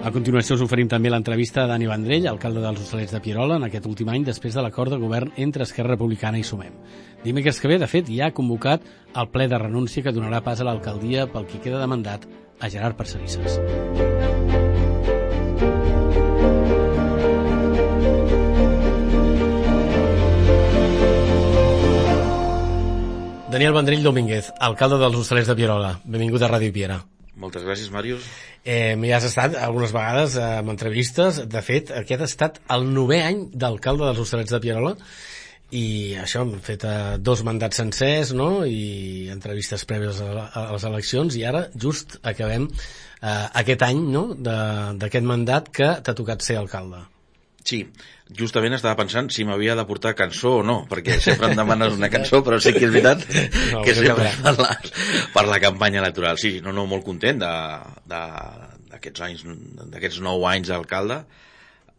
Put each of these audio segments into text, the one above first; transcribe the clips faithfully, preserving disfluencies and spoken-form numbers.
A continuació us oferim també l'entrevista a Dani Vendrell, alcalde dels Hostalets de Pierola, en aquest últim any després de l'acord de govern entre Esquerra Republicana i Sumem. Dimecres que ve, de fet, ja ha convocat el ple de renúncia que donarà pas a l'alcaldia pel que queda de mandat a Gerard Parcerisses. Daniel Vendrell Domínguez, alcalde dels Hostalets de Pierola. Benvingut a Ràdio Piera. Moltes gràcies, Màrius. Eh, ja has estat algunes vegades eh, amb entrevistes. De fet, aquest ha estat el novè any d'alcalde dels Hostalets de Pierola i això, hem fet eh, dos mandats sencers, no?, i entrevistes prèvies a, a les eleccions, i ara just acabem eh, aquest any, no?, d'aquest mandat que t'ha tocat ser alcalde. Sí, justament estava pensant si m'havia de portar cançó o no, perquè sempre em demanes una cançó, però sé que és veritat no, que sempre per la, per la campanya electoral. Sí, no, no, molt content d'aquests anys, d'aquests nou anys d'alcalde.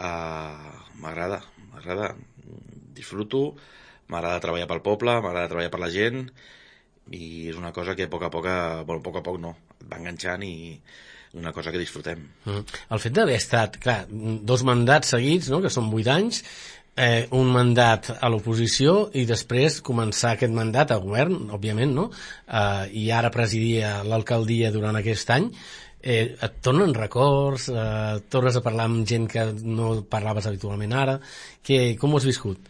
Uh, m'agrada, m'agrada, disfruto, m'agrada treballar pel poble, m'agrada treballar per la gent, i és una cosa que a poc a poc, bueno, a poc a poc no, et va enganxant i una cosa que disfrutem. Mm. El fet d'haver estat, clar, dos mandats seguits, no?, que són vuit anys, eh, un mandat a l'oposició i després començar aquest mandat al govern, òbviament, no?, eh, i ara presidir l'alcaldia durant aquest any, eh, et tornen records, eh, tornes a parlar amb gent que no parlaves habitualment ara, que, com ho has viscut?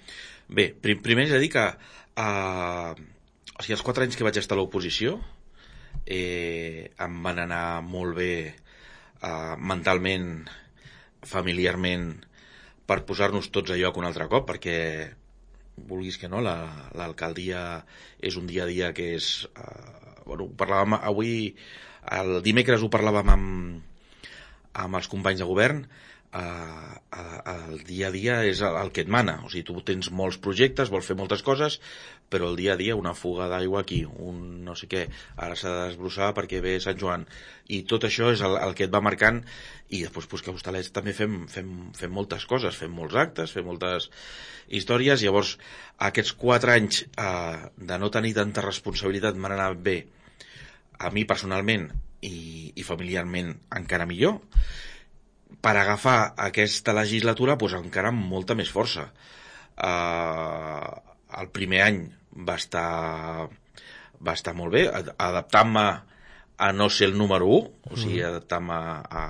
Bé, prim, primer he de dir que eh, o sigui, els quatre anys que vaig estar a l'oposició Eh, em van anar molt bé eh, mentalment, familiarment, per posar-nos tots a lloc un altre cop, perquè vulguis que no, l'alcaldia la, és un dia a dia que és eh, bueno, ho parlàvem avui, el dimecres ho parlàvem amb, amb els companys de govern. Uh, el dia a dia és el, el que et mana, o sigui, tu tens molts projectes, vols fer moltes coses, però el dia a dia, una fuga d'aigua aquí, un no sé què, ara s'ha de desbrossar perquè ve Sant Joan, i tot això és el, el que et va marcant. I després pues, que a Hostalets també fem, fem, fem moltes coses, fem molts actes, fem moltes històries. Llavors aquests quatre anys uh, de no tenir tanta responsabilitat m'han anat bé a mi personalment i, i familiarment encara millor, per agafar aquesta legislatura pues, encara amb molta més força. Uh, el primer any va estar, va estar molt bé, adaptant-me a no ser el número u, o sigui, adaptant-me a...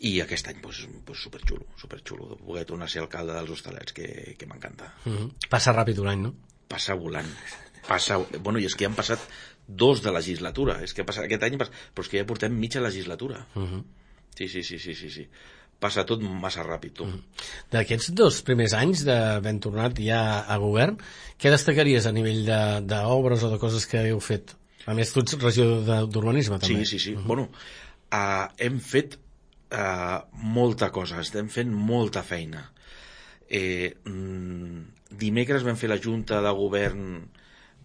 I aquest any, pues, pues, superxulo, superxulo, de poder tornar a ser alcalde dels Hostalets, que, que m'encanta. Mm-hmm. Passa ràpid un any, no? Passa volant. Passa... Bueno, i és que ja han passat dos de legislatura, és que ha passat aquest any, però és que ja portem mitja legislatura. Mm-hmm. Sí, sí, sí, sí, sí, sí. Passa tot massa ràpid, tu. Mm. D'aquests dos primers anys d'haver tornat ja a govern, què destacaries a nivell d'obres o de coses que heu fet? A més, tu ets regidor d'urbanisme, també. Sí, sí, sí. Uh -huh. Bueno, uh, hem fet uh, molta cosa, estem fent molta feina. Eh, mm, dimecres vam fer la junta de govern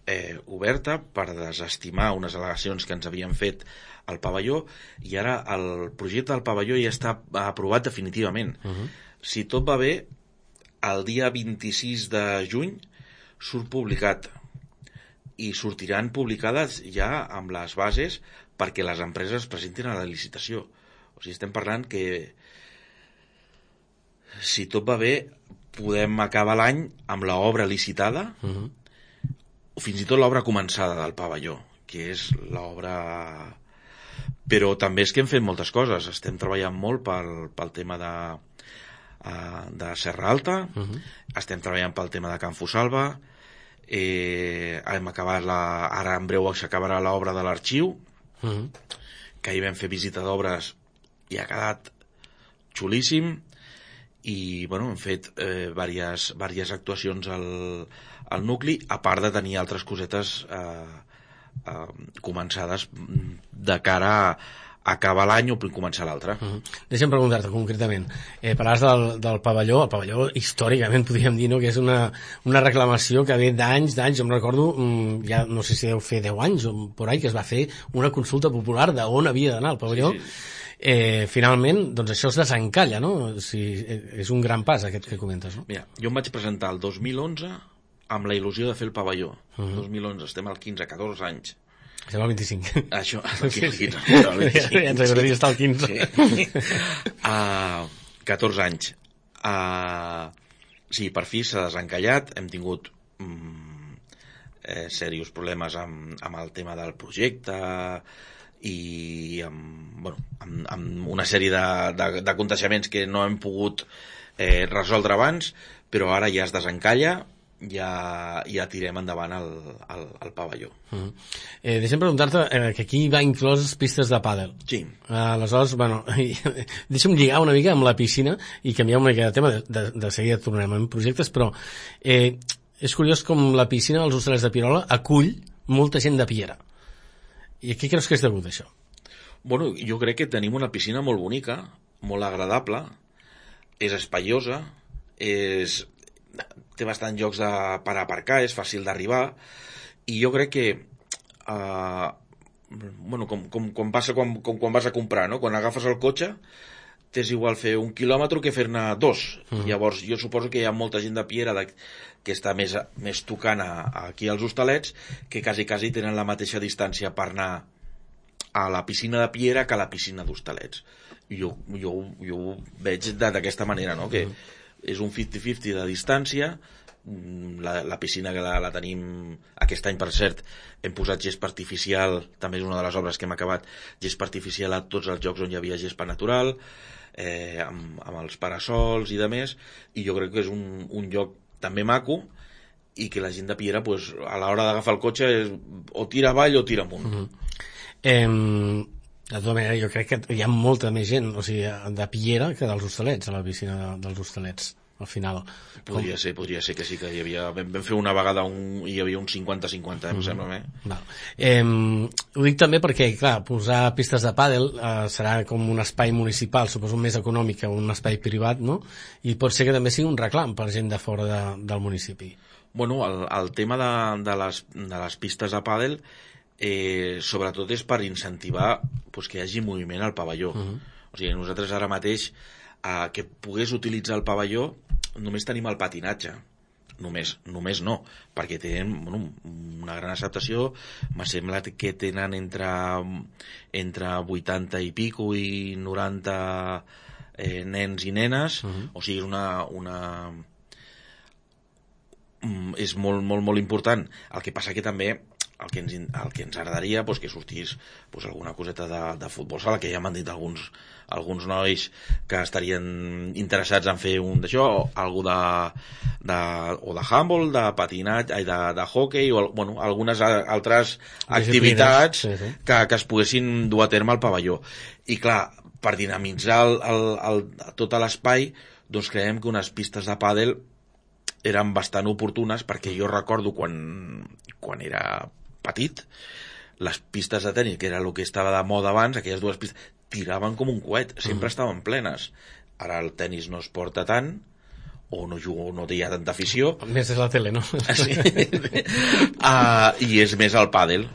eh, oberta per desestimar unes al·legacions que ens havien fet al pavelló, i ara el projecte del pavelló ja està aprovat definitivament. Uh-huh. Si tot va bé, el dia vint-i-sis de juny surt publicat, i sortiran publicades ja amb les bases perquè les empreses presentin a la licitació. O sigui, estem parlant que si tot va bé podem acabar l'any amb l'obra licitada, uh-huh, o fins i tot l'obra començada del pavelló, que és l'obra... Però també és que hem fet moltes coses. Estem treballant molt pel, pel tema de, uh, de Serra Alta, uh-huh, estem treballant pel tema de Can Fusalva, eh, hem acabat la, ara en breu s'acabarà l'obra de l'arxiu, uh-huh, que ahir vam fer visita d'obres i ha quedat xulíssim, i bueno, hem fet eh, diverses, diverses actuacions al, al nucli, a part de tenir altres cosetes eh, eh, començades de cara a acabar l'any o començar l'altre. Uh-huh. Deixa'm preguntar-te concretament, eh, parlaves del, del pavelló. El pavelló històricament podríem dir, no?, que és una, una reclamació que ve d'anys, d'anys. Jo em recordo, ja no sé si deu fer deu anys o por ahí, que es va fer una consulta popular d'on havia d'anar el pavelló. Sí, sí. Eh, finalment, doncs això es desencalla, no? O sigui, és un gran pas aquest que comentes, no? Mira, jo em vaig presentar el dos mil onze amb la il·lusió de fer el pavelló. Uh-huh. dos mil onze, estem al quinze, catorze anys. Estem al vint-i-cinc. Això, el quinze. Sí, sí. El vint-i-cinc. Ja ens agradaria estar al quinze. Sí. Uh, catorze anys. Uh, sí, per fi s'ha desencallat. Hem tingut um, eh, serios problemes amb, amb el tema del projecte i amb, bueno, amb, amb una sèrie de, de, de contagiaments que no hem pogut eh, resoldre abans, però ara ja es desencalla. Ja, ja tirem endavant el, el, el pavelló. Uh-huh. eh, deixa'm preguntar-te eh, que aquí va inclòs pistes de pàdel. Sí. Uh, aleshores, bueno, deixa'm lligar una mica amb la piscina i canviar una mica de tema, de, de, de seguida tornarem en projectes, però eh, és curiós com la piscina dels Hostalets de Pierola acull molta gent de Piera. I a què creus que és degut, això? Bueno, jo crec que tenim una piscina molt bonica, molt agradable, és espaiosa, és... té bastants llocs de, per aparcar, és fàcil d'arribar, i jo crec que uh, bueno, com, com, com passa quan, com, quan vas a comprar, no? Quan agafes el cotxe t'és igual fer un quilòmetre que fer-ne dos. Mm. Llavors jo suposo que hi ha molta gent de Piera de, que està més, més tocant a, a aquí als Hostalets, que quasi, quasi tenen la mateixa distància per anar a la piscina de Piera que a la piscina d'Hostalets. Jo, jo, jo ho veig d'aquesta manera, no? Que mm. és un cinquanta cinquanta de distància. La, la piscina que la, la tenim aquest any, per cert, hem posat gespa artificial, també és una de les obres que hem acabat, gespa artificial a tots els llocs on hi havia gespa natural, eh, amb, amb els parasols i de més, i jo crec que és un, un lloc també maco, i que la gent de Piera, pues, a l'hora d'agafar el cotxe és, o tira avall o tira amunt. Mm-hmm. eh, de tota manera, jo crec que hi ha molta més gent, o sigui, de Piera que dels Hostalets, a la piscina de, dels Hostalets, al final. Podria Com... ser, podria ser que sí, que hi havia... Vam, vam fer una vegada un, hi havia un cinquanta cinquanta, em mm-hmm. sembla, eh? Val. Eh, ho dic també perquè, clar, posar pistes de pàdel eh, serà com un espai municipal, suposo més econòmic que un espai privat, no? I pot ser que també sigui un reclam per gent de fora de, del municipi. Bueno, el, el tema de, de, les, de les pistes de pàdel Eh, sobretot és per incentivar pues, que hi hagi moviment al pavelló. Uh-huh. O sigui, nosaltres ara mateix eh, que pogués utilitzar el pavelló només tenim el patinatge. Només, només no, perquè tenen bueno, una gran acceptació. M'ha semblat que tenen entre, entre vuitanta i pico i noranta eh, nens i nenes. Uh-huh. O sigui, és una... una és molt, molt, molt important. El que passa que també el que ens, el que ens agradaria pues, que sortís pues, alguna coseta de, de futbol sala, que ja m'han dit alguns, alguns nois que estarien interessats en fer un d'això, o algú de, de, o de handball, de patinatge, de, de hockey, o bueno, algunes altres activitats sí, sí. Que, que es poguessin dur a terme al pavelló. I clar, per dinamitzar el, el, el, tot l'espai, doncs creiem que unes pistes de pàdel eren bastant oportunes, perquè jo recordo quan, quan era petit, les pistes de tenis, que era el que estava de moda abans, aquelles dues pistes, tiraven com un coet, sempre mm. estaven plenes. Ara el tenis no es porta tant, o no jugo, no hi ha tanta afició. Més és la tele, no? Sí. uh, I és més el pàdel.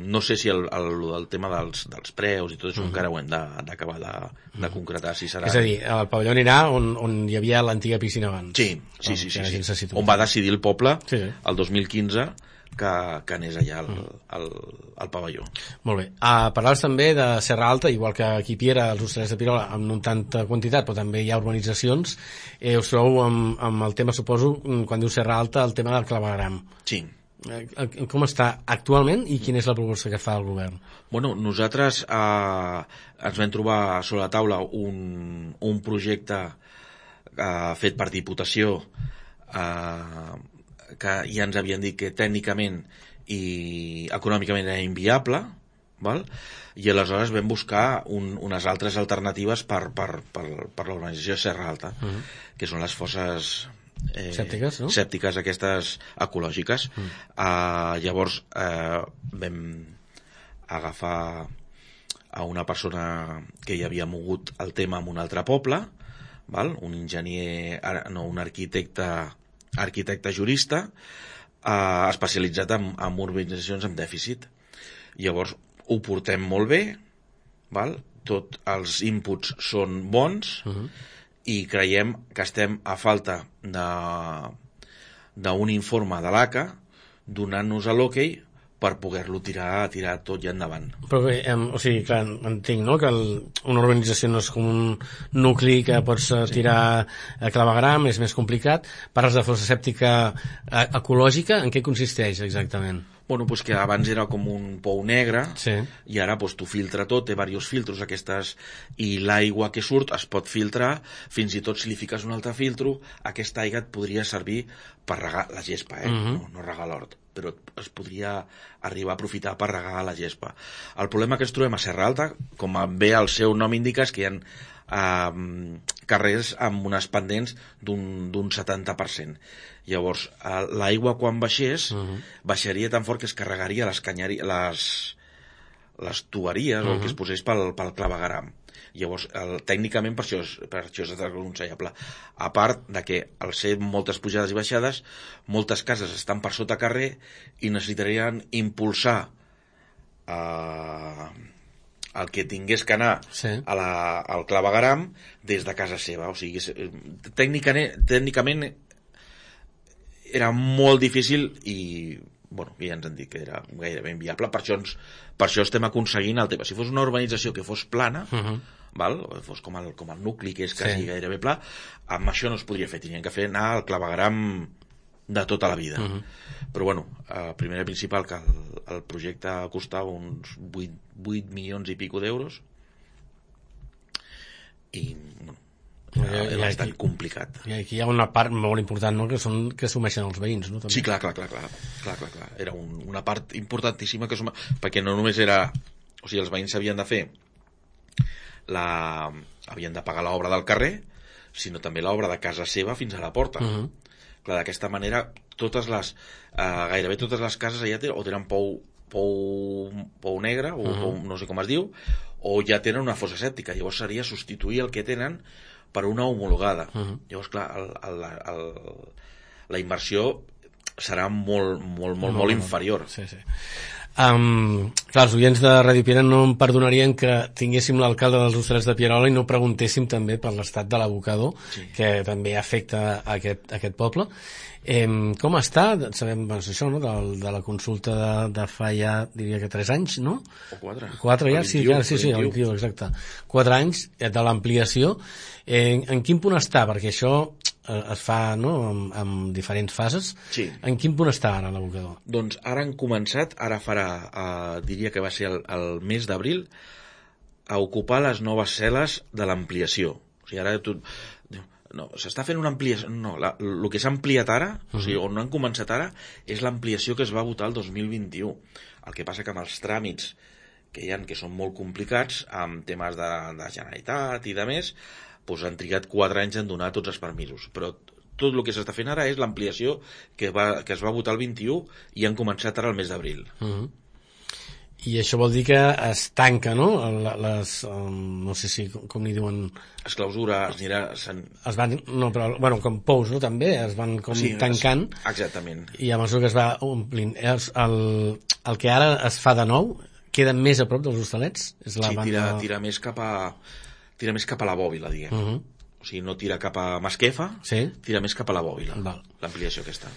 No sé si el, el, el tema dels, dels preus i tot això mm. encara ho hem d'acabar de, de, de concretar, si serà... És a dir, el pavelló anirà on, on hi havia l'antiga piscina abans. Sí, sí, sí, sí, sí, sí. On va decidir el poble, sí, sí. El dos mil quinze, que, que anés allà al, al, al pavelló. Molt bé. Uh, parlaves també de Serra Alta, igual que aquí Piera, els Hostalets de Pierola, amb no tanta quantitat, però també hi ha urbanitzacions. Eh, us trobeu amb, amb el tema, suposo, quan diu Serra Alta, el tema del clavegueram. Sí. Com està actualment i quina és la proposta que fa el govern? Bueno, nosaltres eh, ens vam trobar sobre la taula un, un projecte eh, fet per Diputació eh, que ja ens havien dit que tècnicament i econòmicament era inviable, val? I aleshores vam buscar un, unes altres alternatives per, per, per, per l'organització de Serra Alta, uh-huh. que són les fosses eh, sèptiques, no? sèptiques aquestes ecològiques. Uh-huh. Uh, llavors eh, vam agafar a una persona que ja havia mogut el tema en un altre poble, val? Un enginyer, no, un arquitecte arquitecte jurista eh, especialitzat en, en urbanitzacions amb dèficit. Llavors ho portem molt bé, val? Tots els inputs són bons, uh-huh. i creiem que estem a falta d'un informe de l'A C A donant-nos a l'hoquei per poder-lo tirar, tirar tot i endavant. Però bé, eh, o sigui, clar, entenc, no?, que el, una urbanització no és com un nucli que pots sí. tirar a clavegram, és més complicat. Parles de fossa sèptica eh, ecològica, en què consisteix exactament? Bueno, pues que abans era com un pou negre sí. i ara pues, tu filtra tot, té diversos filtros aquestes, i l'aigua que surt es pot filtrar, fins i tot si li fiques un altre filtro, aquesta aigua et podria servir per regar la gespa, eh? Uh-huh. no, no regar l'hort, però es podria arribar a aprofitar per regar la gespa. El problema que ens trobem a Serra Alta, com bé el seu nom indica, és que hi ha eh, carrers amb unes pendents d'un setanta per cent. Llavors, l'aigua quan baixés, uh-huh. baixaria tan fort que es carregaria les canyeries, les, les tuberies, uh-huh. o el que es posés pel, pel clavegaram. Llavors, el, tècnicament, per això, és, per això és desaconsellable. A part de que, al ser moltes pujades i baixades, moltes cases estan per sota carrer i necessitarien impulsar eh, el que tingués que anar sí. a la, al clavegaram des de casa seva. O sigui, tècnicament, tècnicament era molt difícil i, bueno, ja ens han dit que era gairebé inviable. Per això, ens, per això estem aconseguint el tema. Si fos una urbanització que fos plana, uh-huh. val? Fos com el, com el nucli, que és quasi sí. gairebé pla, amb això no es podria fer. Tenien que fer anar al clavegaram de tota la vida. Uh-huh. Però, bueno, eh, primer i principal, que el, el projecte costava uns vuit milions i pico d'euros i, bueno, és bastant aquí, complicat. I aquí hi ha una part molt important, no?, que són que assumeixen els veïns, no? També. Sí, clar, clar, clar, clar, clar, clar, clar. Era un, una part importantíssima que assuma, perquè no només era, o sigui, els veïns havien de fer la, havien de pagar l'obra del carrer, sinó també l'obra de casa seva fins a la porta. Uh-huh. Clar, d'aquesta manera, totes les, eh, gairebé totes les cases allà tenen, o tenen pou, pou, pou negre, o uh-huh. pou, no sé com es diu, o ja tenen una fossa sèptica. Llavors seria substituir el que tenen per una homologada. Uh-huh. Llavors, clar, el, el, el, la inversió serà molt, molt, molt, molt inferior. Sí, sí. Um, clar, els oients de Ràdio Piera no em perdonarien que tinguéssim l'alcalde dels Hostalets de Pierola i no preguntéssim també per l'estat de l'abocador, sí. que també afecta a aquest, a aquest poble. Eh, com està? Sabem, doncs, això, no?, de, de la consulta de, de fa ja, diria que tres anys, no? O quatre. Quatre ja, sí, ja, sí, sí, el vint-i-u, exacte. Quatre anys de l'ampliació. Eh, en quin punt està? Perquè això eh, es fa, no?, amb, amb diferents fases. Sí. En quin punt està ara l'abocador? Doncs ara han començat, ara farà, eh, diria que va ser el, el mes d'abril, a ocupar les noves cel·les de l'ampliació. O sigui, ara tu... No, s'està fent una ampliació... No, la, el que s'ha ampliat ara, uh-huh. o sigui, on no han començat ara, és l'ampliació que es va votar el dos mil vint-i-u. El que passa que amb els tràmits que hi ha, que són molt complicats, amb temes de, de Generalitat i de més, doncs han trigat quatre anys en donar tots els permisos. Però tot el que s'està fent ara és l'ampliació que, va, que es va votar el vint-i-u i han començat ara el mes d'abril. Uh-huh. I això vol dir que es tanca, no? Les, um, no sé si, com, com n'hi diuen... Es clausura, es anirà... Sen... Es van, no, però, bueno, com pous, no?, també, es van com sí, tancant. Es, exactament. I a mesura que es va omplint. El, el, el que ara es fa de nou queda més a prop dels Hostalets? És la sí, banda... tira, tira, més cap a, tira més cap a la bòbila, diguem. Uh-huh. O sigui, no tira cap a Masquefa, sí? Tira més cap a la bòbila, l'ampliació aquesta.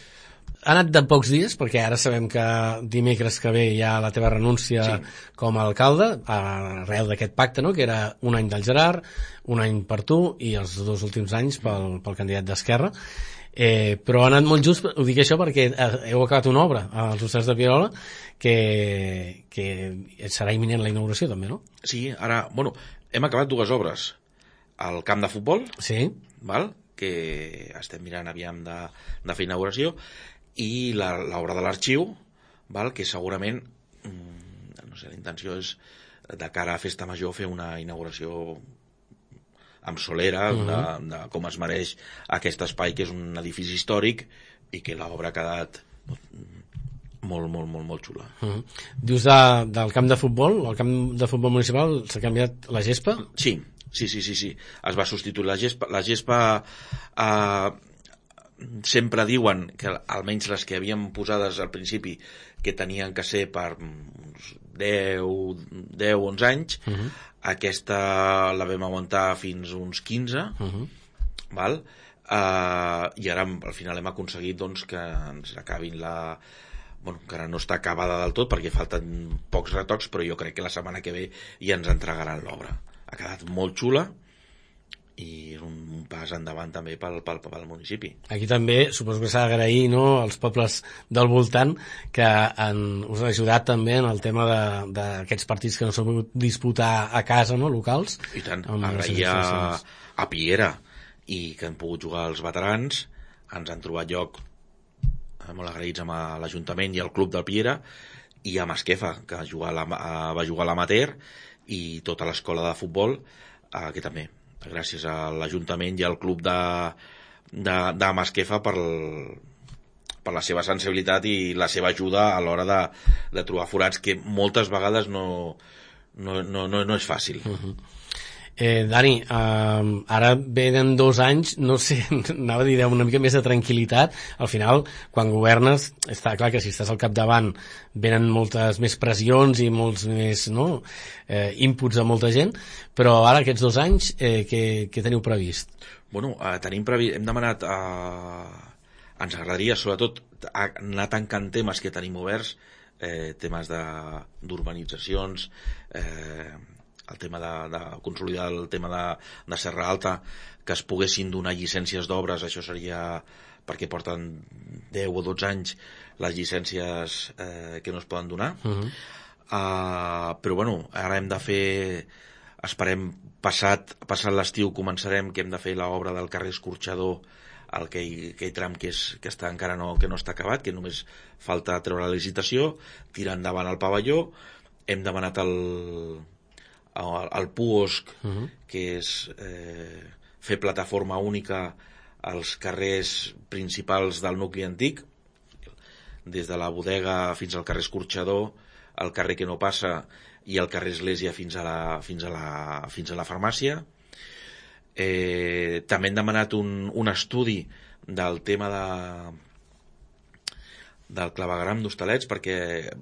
Ha anat de pocs dies, perquè ara sabem que dimecres que ve hi ha la teva renúncia sí. com a alcalde, arrel d'aquest pacte, no?, que era un any del Gerard, un any per tu i els dos últims anys pel, pel candidat d'Esquerra. Eh, però ha anat molt just, ho dic això perquè heu acabat una obra als Hostalets de Pierola que, que serà imminent la inauguració també, no? Sí, ara, bueno, hem acabat dues obres. El camp de futbol, sí. val? Que estem mirant aviam de, de fer inauguració, i l'obra de l'arxiu, val? Que segurament, no sé, la intenció és de cara a Festa Major fer una inauguració amb solera, uh-huh. de, de com es mereix aquest espai, que és un edifici històric i que l'obra ha quedat molt, molt, molt, molt xula. Uh-huh. Dius de, del camp de futbol, el camp de futbol municipal s'ha canviat la gespa? Sí, sí, sí, sí, sí. Es va substituir la gespa. La gespa eh, sempre diuen que almenys les que havien posades al principi que tenien que ser per uns deu, onze anys, uh-huh. aquesta la vam aguantar fins uns quinze, uh-huh. val? Uh, i ara al final hem aconseguit doncs, que ens acabin la, bueno, encara no està acabada del tot perquè falten pocs retocs, però jo crec que la setmana que ve ja ens entregaran l'obra. Ha quedat molt xula i és un pas endavant també pel, pel, pel municipi. Aquí també suposo que s'ha d'agrair, no, als pobles del voltant que han, us han ajudat també en el tema d'aquests partits que no s'han pogut disputar a casa, no, locals. I tant, agrair a, a Piera i que han pogut jugar els veterans, ens han trobat lloc molt agraïts amb l'Ajuntament i el club del Piera, i a Masquefa, que jugar la, va jugar a l'amater, i tota l'escola de futbol, eh, que també gràcies a l'Ajuntament i al club de, de, de Masquefa per, per la seva sensibilitat i la seva ajuda a l'hora de, de trobar forats, que moltes vegades no, no, no, no, no és fàcil. Uh-huh. eh, Dani, eh, ara venen dos anys, no sé, anava a dir una mica més de tranquil·litat. Al final, quan governes, està clar que si estàs al capdavant venen moltes més pressions i molts més, no, eh, inputs a molta gent, però ara aquests dos anys eh, què, què teniu previst? Bueno, eh, tenim previst, hem demanat eh, ens agradaria sobretot anar tancant temes que tenim oberts, eh, temes d'urbanitzacions, eh, el tema de, de consolidar el tema de, de Serra Alta, que es poguessin donar llicències d'obres. Això seria perquè porten deu o dotze anys les llicències eh, que no es poden donar. Uh-huh. uh, però bueno, ara hem de fer, esperem passat, passat l'estiu començarem, que hem de fer l'obra del carrer Escorxador, el aquell, aquell tram que, és, que està encara no, que no està acabat, que només falta treure la licitació, tirar endavant el pavelló. Hem demanat el al P U O S C, uh-huh. que és eh, fer plataforma única als carrers principals del nucli antic, des de la bodega fins al carrer Escorxador, el carrer que no passa i el carrer Església fins a la, fins a la, fins a la farmàcia. Eh, també hem demanat un, un estudi del tema de, del clavegram d'Hostalets, perquè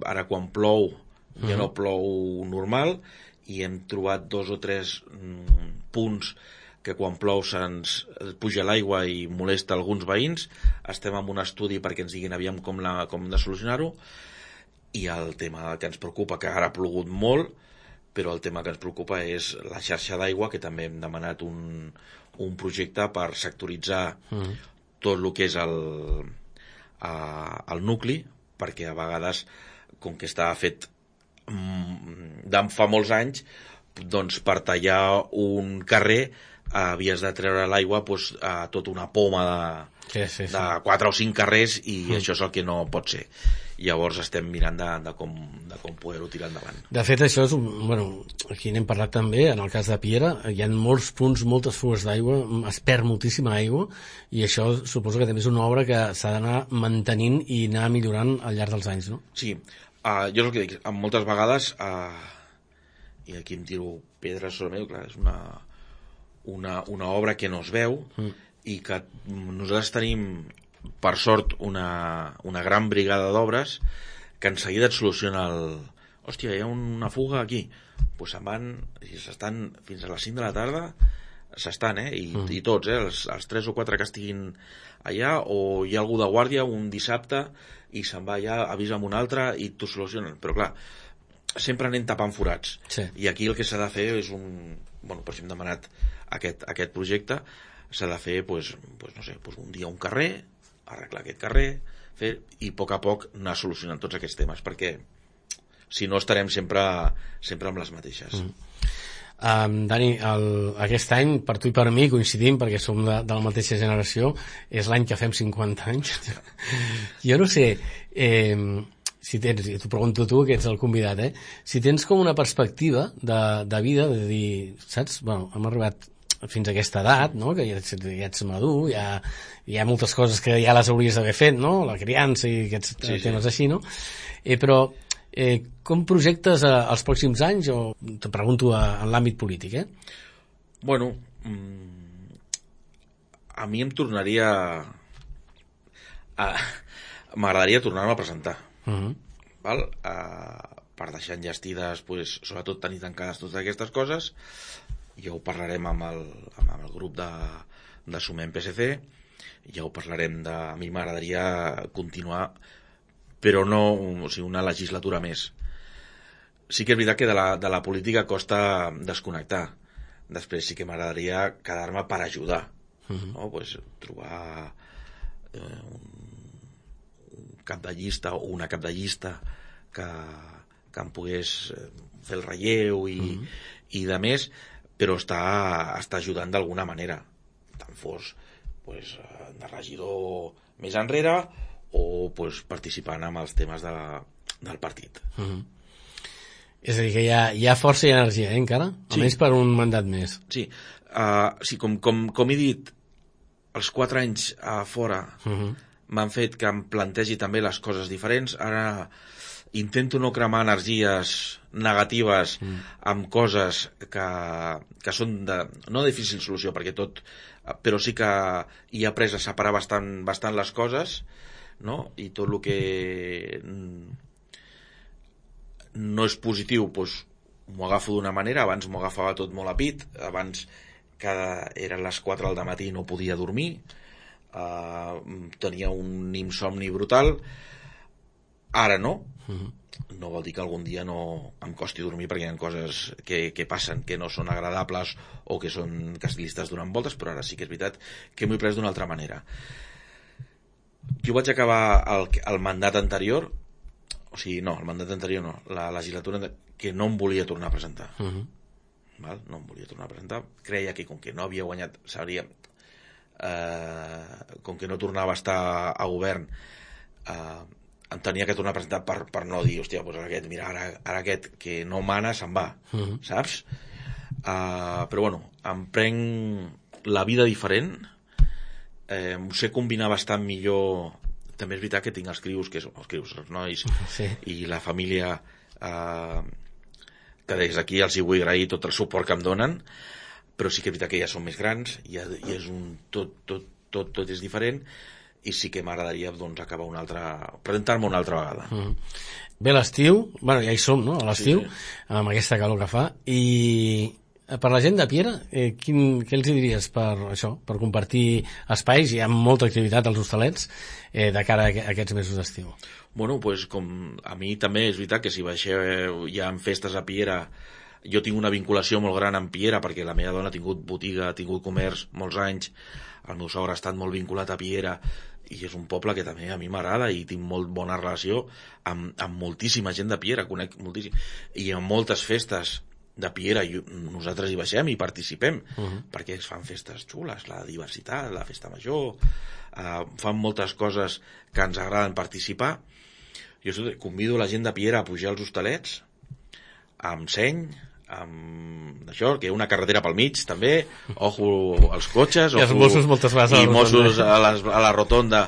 ara quan plou ja uh-huh. no plou normal, i hem trobat dos o tres mm, punts que quan plou se'ns puja l'aigua i molesta alguns veïns. Estem en un estudi perquè ens diguin aviam com, la, com de solucionar-ho. I el tema que ens preocupa, que ara ha plogut molt, però el tema que ens preocupa és la xarxa d'aigua, que també hem demanat un, un projecte per sectoritzar mm. tot el que és el, a, el nucli, perquè a vegades, com que està fet d'en fa molts anys, doncs per tallar un carrer havies de treure l'aigua doncs, a tota una poma de, sí, sí, sí. de quatre o cinc carrers, i mm. això és el que no pot ser. Llavors estem mirant de, de com, de com poder-ho tirar endavant. De fet, això és un, bueno, aquí n'hem parlat també, en el cas de Piera, hi ha molts punts, moltes fugues d'aigua, es perd moltíssima aigua, i això suposo que també és una obra que s'ha d'anar mantenint i anar millorant al llarg dels anys, no? Sí. Uh, jo és el que dic, moltes vegades uh, i aquí em tiro pedres sobre meu, clar, és una, una, una obra que no es veu mm. i que nosaltres tenim per sort una, una gran brigada d'obres que en seguida et soluciona el hòstia, hi ha una fuga aquí, pues se'n van i s'estan fins a les cinc de la tarda, s'estan, eh, i, mm. i tots, eh, els, els tres o quatre que estiguin allà, o hi ha algú de guàrdia un dissabte i se'n va allà, avisa amb un altre i t'ho solucionen. Però clar, sempre anem tapant forats. Sí. I aquí el que s'ha de fer és un... Bueno, per això hem demanat aquest, aquest projecte, s'ha de fer, pues, pues, no sé, pues un dia un carrer, arreglar aquest carrer, fer, i a poc a poc anar solucionant tots aquests temes, perquè si no estarem sempre, sempre amb les mateixes. Mm. Um, Dani, el, aquest any per tu i per mi coincidim perquè som de, de la mateixa generació, és l'any que fem cinquanta anys. Jo no sé eh, si tens, i t'ho pregunto tu que ets el convidat, eh? Si tens com una perspectiva de, de vida, de dir, saps, bueno, hem arribat fins a aquesta edat, no? Que ja ets, ja ets madur, ja, hi ha moltes coses que ja les hauries d'haver fet, no? La criança i aquests sí, temes sí. així, no? Eh, però Eh, com projectes eh, els pròxims anys, o te pregunto a, en l'àmbit polític, eh? Bueno, mmm, a mi em tornaria a, m'agradaria tornar-me a presentar, uh-huh. val? A, per deixar enllestides, pues, sobretot tenir tancades totes aquestes coses. Ja ho parlarem amb el, amb el grup de, de Sumem P S C, ja ho parlarem de... A mi m'agradaria continuar però no, o sigui, una legislatura més. Sí que és veritat que de la, de la política costa desconnectar. Després sí que m'agradaria quedar-me per ajudar, uh-huh. no? Pues, trobar eh, un, un cap de llista o una cap de llista que, que em pogués fer el relleu i, uh-huh. i de més, però està, està ajudant d'alguna manera, tant fos pues, de regidor més enrere o pues, participant en els temes de, del partit. Uh-huh. És a dir, que hi ha, hi ha força i energia, eh, encara? Sí. Almenys per un mandat més. Sí, uh, sí com, com, com he dit, els quatre anys a fora uh-huh. m'han fet que em plantegi també les coses diferents. Ara intento no cremar energies negatives uh-huh. amb coses que, que són de, no de difícil solució, perquè tot, però sí que hi he après a separar bastant, bastant les coses, no? I tot el que no és positiu, doncs m'ho agafo d'una manera. Abans m'ho agafava tot molt a pit, abans cada, eren les quatre del matí i no podia dormir, uh, tenia un insomni brutal. Ara no, uh-huh. no vol dir que algun dia no em costi dormir, perquè hi ha coses que, que passen que no són agradables o que són que li estàs donant voltes, però ara sí que és veritat que m'ho he pres d'una altra manera. Jo vaig acabar el, el mandat anterior, o sigui, no, el mandat anterior no, la legislatura que no em volia tornar a presentar. Uh-huh. Val? No em volia tornar a presentar. Creia que com que no havia guanyat, sabria, eh, com que no tornava a estar a govern, eh, em tenia que tornar a presentar per, per no dir, hòstia, doncs aquest, mira, ara, ara aquest que no mana se'n va, uh-huh. saps? Uh, però bueno, em prenc la vida diferent, eh, m'ho sé combinar bastant millor. També és veritat que tinc els crius, que són els crius, els nois, sí. i la família, eh, que des d'aquí els hi vull agrair tot el suport que em donen, però sí que és veritat que ja són més grans, i, i és un, tot, tot, tot, tot és diferent, i sí que m'agradaria doncs, acabar una altra, presentar-me una altra vegada. Mm. Bé, l'estiu, bueno, ja hi som, no?, a l'estiu, sí, sí. amb aquesta calor que fa, i per la gent de Piera, eh, quin, què els diries per això, per compartir espais? Hi ha molta activitat als hostalets eh, de cara a aquests mesos d'estiu. Bueno, pues com a mi també és veritat que si baixeu ja en festes a Piera, jo tinc una vinculació molt gran amb Piera, perquè la meva dona ha tingut botiga, ha tingut comerç molts anys, el meu sogre ha estat molt vinculat a Piera, i és un poble que també a mi m'agrada i tinc molt bona relació amb, amb moltíssima gent de Piera, conec moltíssim, i amb moltes festes de Piera, i nosaltres hi baixem i participem, uh-huh. perquè es fan festes xules, la diversitat, la festa major, eh, fan moltes coses que ens agraden participar. Jo convido la gent de Piera a pujar als hostalets, amb seny, amb d'això, que hi ha una carretera pel mig també, ojo als cotxes, ojo, i els Mossos moltes vegades i Mossos a, les, a la rotonda,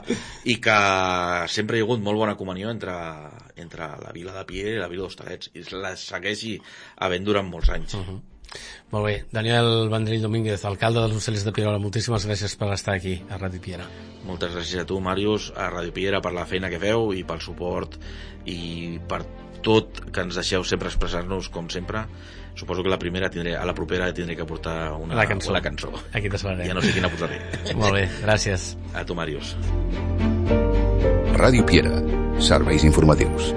i que sempre hi ha hagut molt bona comunió entre, entre la vila de Piera i la vila d'Hostalets, i la segueixi havent durant molts anys. Uh-huh. Molt bé, Daniel Vendrell Domínguez, alcalde dels Hostalets de Pierola, moltíssimes gràcies per estar aquí a Ràdio Piera. Moltes gràcies a tu, Màrius, a Ràdio Piera, per la feina que feu i pel suport i per tot que ens deixeu sempre expressar-nos com sempre. Suposo que la primera tindré, a la propera tindré que portar una, la cançó. una cançó. Aquí t'esperarem. Ja no sé quina posaré. Molt bé, gràcies. A tu, Màrius. Ràdio Piera, serveis informatius.